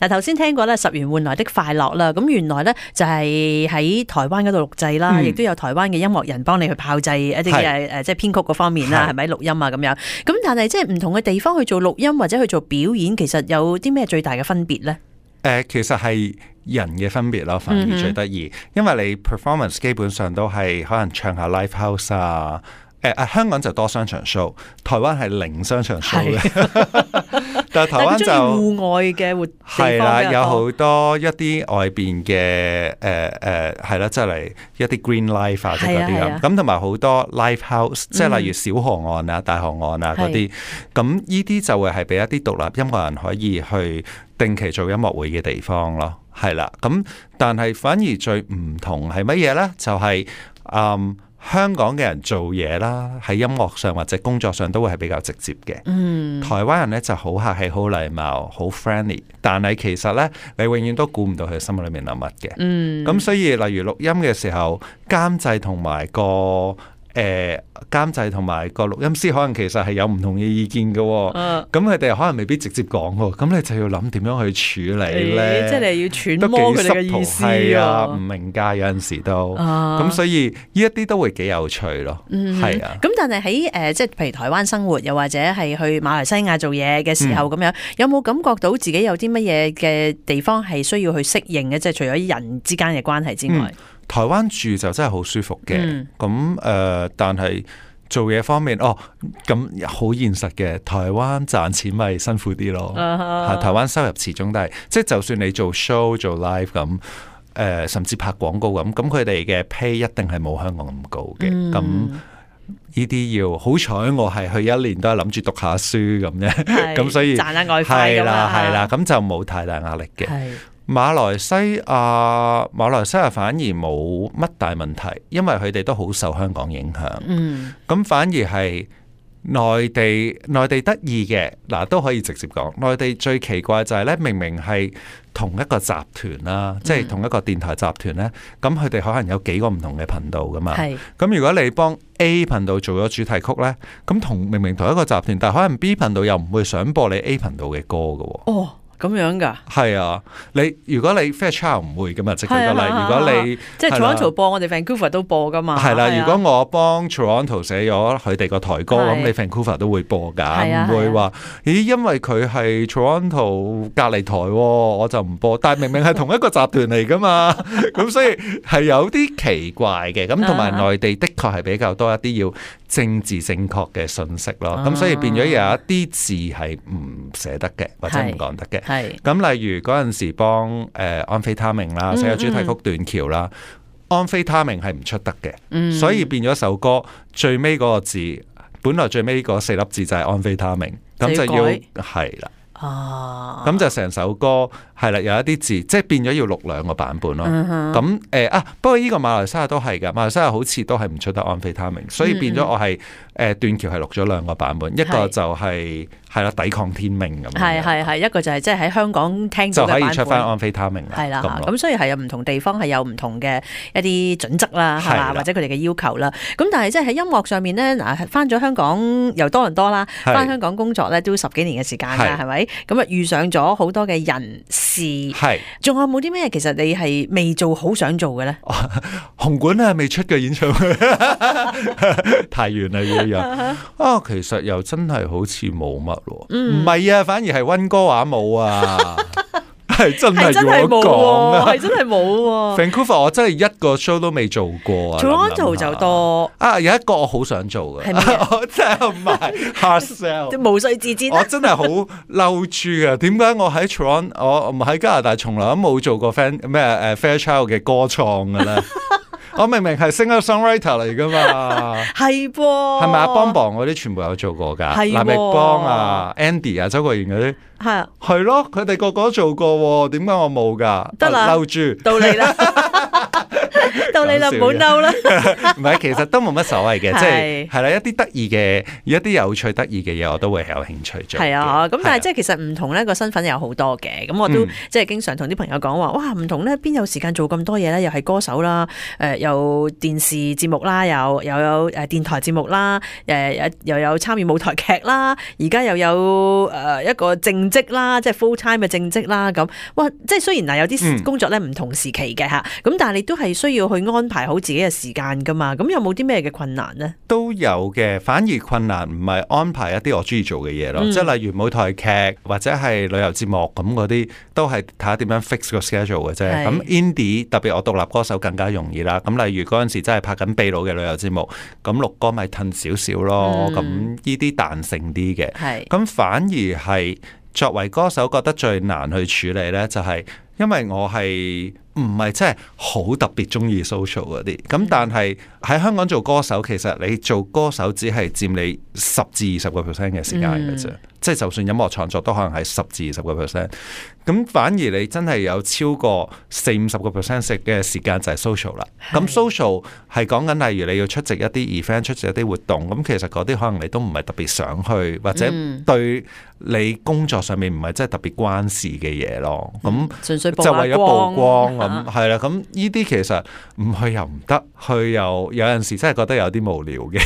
嗱，頭先聽過咧十元換來的快樂啦，咁原來咧就係喺台灣嗰度錄製啦，亦都有台灣嘅音樂人幫你去炮製一啲嘅即係編曲嗰方面啦，係咪錄音啊咁樣？咁但係即係唔同嘅地方去做錄音或者去做表演，其實有啲咩最大嘅分別咧？其實係人嘅分別咯，反而最得意，因為你 performance 基本上都係可能唱下 live house 啊。香港就多商場 show， 台灣係零商場 show 嘅，但係台灣就戶外嘅活地方係啦，有好多一啲外邊嘅係啦，即係嚟一啲 green life 啊，即係嗰啲咁同埋好多 live house， 即係例如小河岸啊、大河岸啊嗰啲，咁呢啲就會係俾一啲獨立音樂人可以去定期做音樂會嘅地方咯，係啦，咁但係反而最唔同係乜嘢咧？就係香港嘅人做嘢啦，喺音樂上或者工作上都會係比較直接嘅。台灣人咧就好客氣、好禮貌、好 friendly， 但係其實咧你永遠都估唔到佢心裏面諗乜嘅。咁所以例如錄音嘅時候，監製同埋個錄音師可能其實係有唔同嘅意見嘅，咁佢哋可能未必直接講喎，咁你就要諗點樣去處理咧，即係你要揣摩佢哋嘅意思啊，唔明㗎有陣時都，咁所以呢一啲都會幾有趣咯，係啊。咁但係喺即係譬如台灣生活，又或者係去馬來西亞做嘢嘅時候咁樣，有冇感覺到自己有啲乜嘢嘅地方係需要去適應嘅？即係除咗人之間嘅關係之外。台灣住就真係好舒服嘅，咁但係做嘢方面，咁好現實嘅。台灣賺錢咪辛苦啲咯，台灣收入始終都係，即係就算你做 show 做 live 咁，甚至拍廣告咁佢哋嘅 pay 一定係冇香港咁高嘅。咁呢啲要好彩，我係去一年都係諗住讀下書咁啫，咁所以賺下外快咁啊，係啦，咁就冇太大壓力嘅。馬來西亞反而冇乜大問題，因為佢哋都好受香港影響。咁反而係內地得意嘅，都可以直接講。內地最奇怪就係咧，明明係同一個集團啦，即係同一個電台集團咧，咁佢哋可能有幾個唔同嘅頻道噶嘛。咁如果你幫 A 頻道做咗主題曲咧，咁明明同一個集團，但係可能 B 頻道又唔會想播你 A 頻道嘅歌噶。咁樣噶？係啊，如果你 Fairchild 唔會噶嘛，即係舉個例，如果你即係 Toronto 播，我哋 Vancouver 都播噶嘛。係啦，如果我幫 Toronto 寫咗佢哋個台歌，咁你 Vancouver 都會播噶，唔會話咦，因為佢係 Toronto 隔離台，我就唔播。但係明明係同一個集團嚟噶嘛，咁所以係有啲奇怪嘅。咁同埋內地的確係比較多一啲要政治正確嘅信息咯，咁所以變咗有一啲字係唔寫得嘅，或者唔講得嘅。咁例如嗰陣時幫安非他命啦，寫個主題曲斷橋啦，安非他命係唔出得嘅，所以變咗首歌最尾嗰個字，本來最尾嗰4粒字就係安非他命，咁就要係啦。咁就成首歌係啦，有一啲字即係變咗要錄2個版本咯。咁不過呢個馬來西亞都係㗎，馬來西亞好似都係唔出得安非他命，所以變咗我係斷橋係錄咗2個版本，一個就係啦抵抗天命咁。係一個就係即係喺香港聽到嘅版本就可以出翻安非他命啦。係啦，咁所以係有唔同地方係有唔同嘅一啲準則啦，係嘛，或者佢哋嘅要求啦。咁但係即係喺音樂上面咧，嗱翻咗香港由多倫多啦，翻香港工作咧都10幾年嘅時間㗎，係咪？咁啊遇上咗好多嘅人事，仲有冇啲咩其實你係未做好想做嘅咧？紅館啊未出嘅演唱會太遠啦呢樣其實又真係好似冇乜喎，唔係啊，反而係溫哥華冇啊。係真係要我講啊，係真係冇喎。Vancouver 我真係一個 show 都未做過啊。Toronto 就多有一個我好想做嘅，我真係唔係 hard sell， 無須自薦。我真係好嬲住啊！點解我喺 Toronto， 我唔喺加拿大，從來都冇做過 Fairchild 嘅歌創嘅咧？我明明係 singer-songwriter 嚟噶嘛，係噃，係咪啊？邦邦嗰啲全部有做過噶，藍奕邦啊、Andy 啊、周國賢嗰啲，係咯，佢哋個個都做過，點解我冇噶？得啦，嬲住到你啦。到你啦，唔好嬲啦。唔係，其實都冇乜所謂嘅，即係啦，一啲得意嘅、一啲有趣得意嘅嘢，我都會有興趣做。係啊，咁但係即係其實唔同咧個身份有好多嘅，咁我都即係經常同啲朋友講話，哇唔同咧，邊有時間做咁多嘢咧？又係歌手啦，有電視節目啦，又有電台節目啦，又有參與舞台劇啦，而家又有一個正職啦，即係 full time 嘅正職啦，咁哇，即係雖然有啲工作咧唔同時期嘅嚇，咁但係你都係需要去安排好自己嘅時間噶嘛，咁有冇啲咩嘅困難呢？都有嘅，反而困難唔係安排一啲我中意做嘅嘢咯，即係例如舞台劇或者係旅遊節目咁嗰啲，都係睇下點樣 fix 個 schedule 嘅啫。咁 indie 特別我獨立歌手更加容易啦。咁例如嗰陣時真係拍緊秘魯嘅旅遊節目，咁錄歌咪褪少少咯。咁呢啲彈性啲嘅，咁反而係作為歌手覺得最難去處理呢，就係因為我係唔係真係好特別中意 social 嗰啲，咁但係喺香港做歌手，其實你做歌手只係佔你10至20% 嘅時間嘅啫，即係就算音樂創作都可能係10至20%，咁反而你真係有超過40-50% 嘅時間就係 social 啦。咁 social 係講緊例如你要出席一啲 event、出席一啲活動，咁其實嗰啲可能你都唔係特別想去，或者對你工作上面唔係真係特別關事嘅嘢咯。咁就為咗曝光咁係啦。咁呢啲其實唔去又唔得，去又有陣時真係覺得有啲無聊嘅。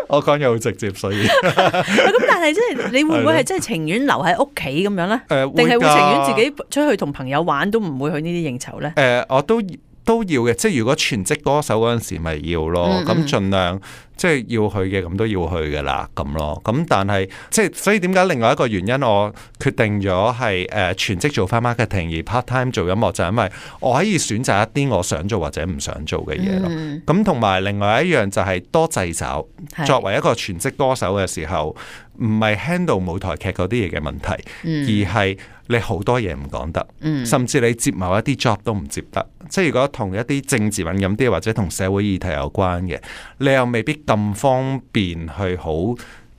我講嘢好直接，所以咁但係即係你會唔會係真係情願留喺屋企咁樣咧？定係會情願自己出去同朋友玩，都唔會去呢啲應酬咧？我都要嘅，即係如果全職歌手嗰陣時咪要咯，咁盡量即係要去嘅，咁都要去嘅啦，咁咯。咁但係即係所以點解另外一個原因我決定咗係全職做翻 marketing 而 part time 做音樂，就係因為我可以選擇一啲我想做或者唔想做嘅嘢咯。咁同埋另外一樣就係多掣肘。作為一個全職歌手嘅時候，唔係 handle 舞台劇嗰啲嘢嘅問題，而係你好多嘢唔講得，甚至你接某一啲 job 都唔接得。即係如果同一啲政治敏感啲或者同社會議題有關嘅，你又未必咁方便去好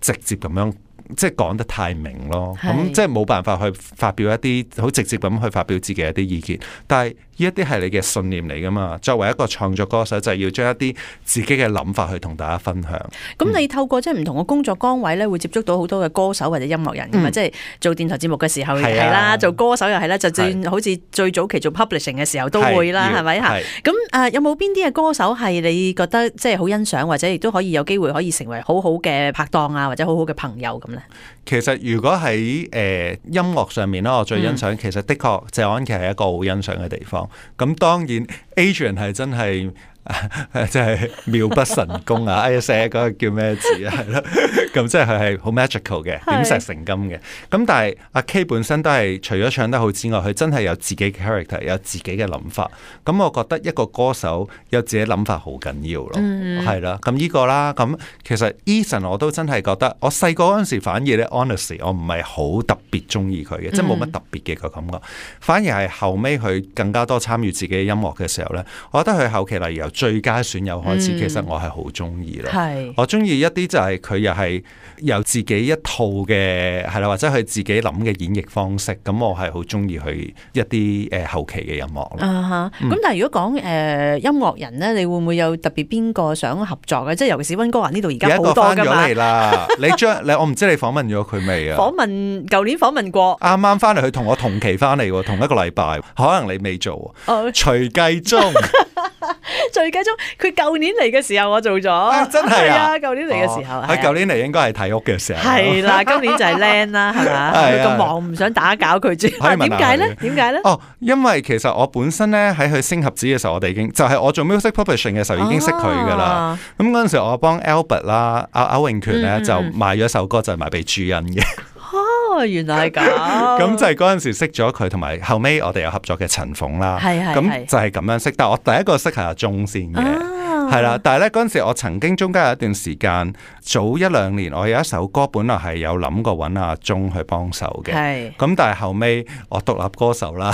直接咁樣即係講得太明咯。咁即係冇辦法去發表一啲好直接咁去發表自己一啲意見。但係呢一啲係你嘅信念嚟噶嘛？作為一個創作歌手，就係要將一啲自己嘅諗法去同大家分享。咁你透過即係唔同嘅工作崗位咧，會接觸到好多嘅歌手或者音樂人噶嘛？即係做電台節目嘅時候係啦，做歌手又係啦，就算好似最早期做 publishing 嘅時候都會啦，係咪嚇？咁有冇邊啲嘅歌手係你覺得即係好欣賞，或者亦都可以有機會可以成為好好嘅拍檔啊，或者好好嘅朋友咁咧？其實如果喺音樂上面咧，我最欣賞其實的確謝安琪係一個好欣賞嘅地方。咁當然 Adrian 係真係即係妙不神功啊！哎呀，寫嗰個叫咩字啊？係咯，咁即係佢係好 magical 嘅，點石成金嘅。咁但係阿 K 本身都係除咗唱得好之外，佢真係有自己嘅 character， 有自己嘅諗法。咁我覺得一個歌手有自己諗法好緊要咯，係啦。咁呢個啦，咁其實 Eason 我都真係覺得，我細個嗰陣時反而咧 honestly 我唔係好特別中意佢嘅，即係冇乜特別嘅個感覺。反而係後尾佢更加多參與自己嘅音樂嘅時候咧，我覺得佢後期例如由最佳損友開始，其實我係好中意咯。我中意一啲就係佢又係有自己一套嘅係啦，或者佢自己諗嘅演繹方式。咁我係好中意佢一啲後期嘅音樂咯。咁但係如果講音樂人咧，你會唔會有特別邊個想合作嘅？即係尤其是溫哥華呢度而家好多㗎嘛。有一個翻咗嚟啦，我唔知你訪問咗佢未啊？舊年訪問過，啱啱翻嚟，佢同我同期翻嚟喎，同一個禮拜，可能你未做。徐繼忠。徐繼忠，佢舊年嚟嘅時候我做咗，真係啊！舊年嚟嘅時候，佢舊年嚟應該係睇屋嘅時候，係啦，今年就係靚啦，係嘛？佢咁忙唔想打攪佢住，點解咧？點解咧？因為其實我本身咧喺佢星合子嘅時候，我哋已經就係我做 music publishing 嘅時候已經識佢噶啦。咁嗰陣時我幫 Albert 啦，歐永權咧就賣咗首歌，就係賣俾朱茵嘅。原來係咁，咁就係嗰陣時識咗佢，同埋後尾我哋有合作嘅陳鳳啦。咁就係咁樣識。但係我第一個識係阿鐘先嘅，係啦。但係咧嗰陣時，我曾經中間有一段時間，早1-2年，我有一首歌本來係有諗過揾阿鐘去幫手嘅。咁但係後尾我獨立歌手啦，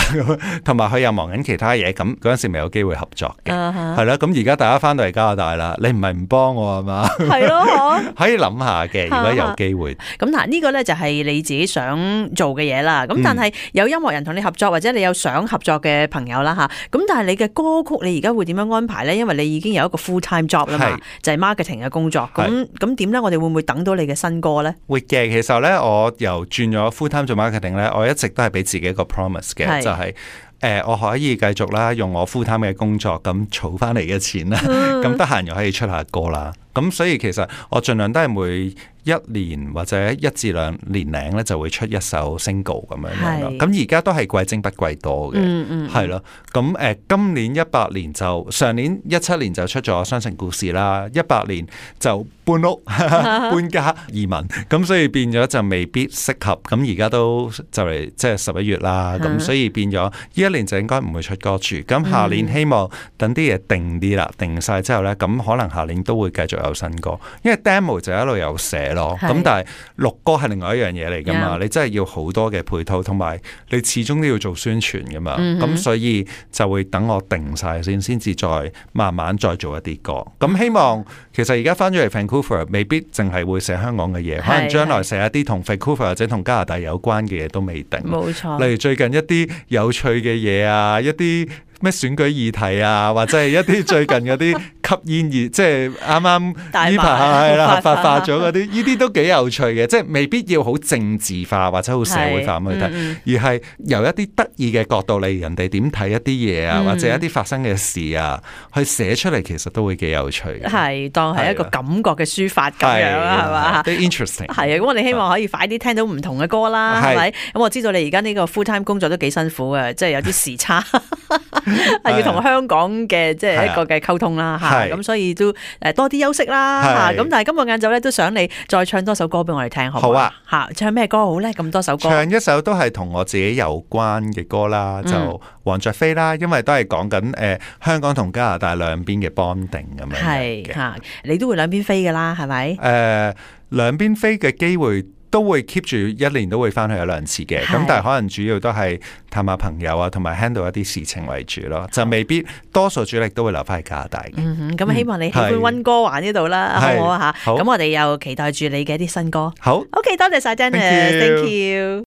同埋佢又忙緊其他嘢，咁嗰陣時未有機會合作嘅。係啦，咁而家大家翻到嚟加拿大啦，你唔係唔幫我係嘛？係咯，可以諗下嘅，如果有機會。咁嗱，呢個咧就係你自己想做嘅嘢啦。咁但係有音樂人同你合作，或者你有想合作嘅朋友啦吓。咁但係你嘅歌曲，你而家會點樣安排咧？因為你已經有一個 full time job 啦嘛，就係 marketing 嘅工作。咁點咧？我哋會唔會等到你嘅新歌咧？會嘅。其實咧，我由轉咗 full time 做 marketing 咧，我一直都係俾自己一個 promise 嘅，就係我可以繼續啦，用我 full time 嘅工作咁儲翻嚟嘅錢啦，咁得閒又可以出下歌啦。咁所以其實我盡量都係每1年或者1至2年零咧就會出一首 single 咁樣咯。咁而家都係貴精不貴多嘅，係咯。咁今年18年就上年17年就出咗《雙城故事》啦，18年就搬屋搬家移民，咁所以變咗就未必適合。咁而家都就嚟即係11月啦，咁所以變咗呢一年就應該唔會出歌住。咁下年希望等啲嘢定啲啦，定晒之後咧，咁可能下年都會繼續有新歌，因為 demo 就一路有寫咯。咁但係錄歌係另外一樣嘢嚟噶嘛，你真係要好多嘅配套，同埋你始終都要做宣傳噶嘛。咁所以就會等我定晒先至再慢慢再做一啲歌。咁希望其實而家翻咗嚟 Vancouver， 未必淨係會寫香港嘅嘢，可能將來寫一啲同 Vancouver 或者同加拿大有關嘅嘢都未定。冇錯。例如最近一啲有趣嘅嘢啊，一啲咩選舉議題啊，或者係一啲最近嗰啲吸煙熱，即係啱啱呢排係啦合法化咗嗰啲，呢啲都幾有趣嘅，即係未必要好政治化或者好社會化咁去睇，而係由一啲得意嘅角度嚟人哋點睇一啲嘢啊，或者一啲發生嘅事啊，去寫出嚟，其實都會幾有趣嘅。係當係一個感覺嘅抒發咁樣啦，係嘛？都 interesting。係啊，咁我哋希望可以快啲聽到唔同嘅歌啦，係咪？咁我知道你而家呢個 full time 工作都幾辛苦嘅，即係有啲時差。係要同香港嘅即係一個嘅溝通啦嚇，咁所以都多啲休息啦嚇。咁但係今日晏晝咧都想你再唱多首歌俾我哋聽，好唔好啊？嚇，唱咩歌好咧？咁多首歌，唱一首都係同我自己有關嘅歌啦，就黃雀飛啦，因為都係講緊香港同加拿大兩邊嘅 bonding 咁樣嘅。係嚇，你都會兩邊飛㗎啦，係咪？兩邊飛嘅機會都會 keep 住1年都會翻去1-2次嘅，咁但係可能主要都係探下朋友啊，同埋 handle 一啲事情為主咯，就未必多數主力都會留翻喺加拿大嘅。咁希望你喜歡溫哥華呢度啦，好唔好啊嚇？咁我哋又期待住你嘅一啲新歌。好， OK， 多謝晒 Dennis，Thank you。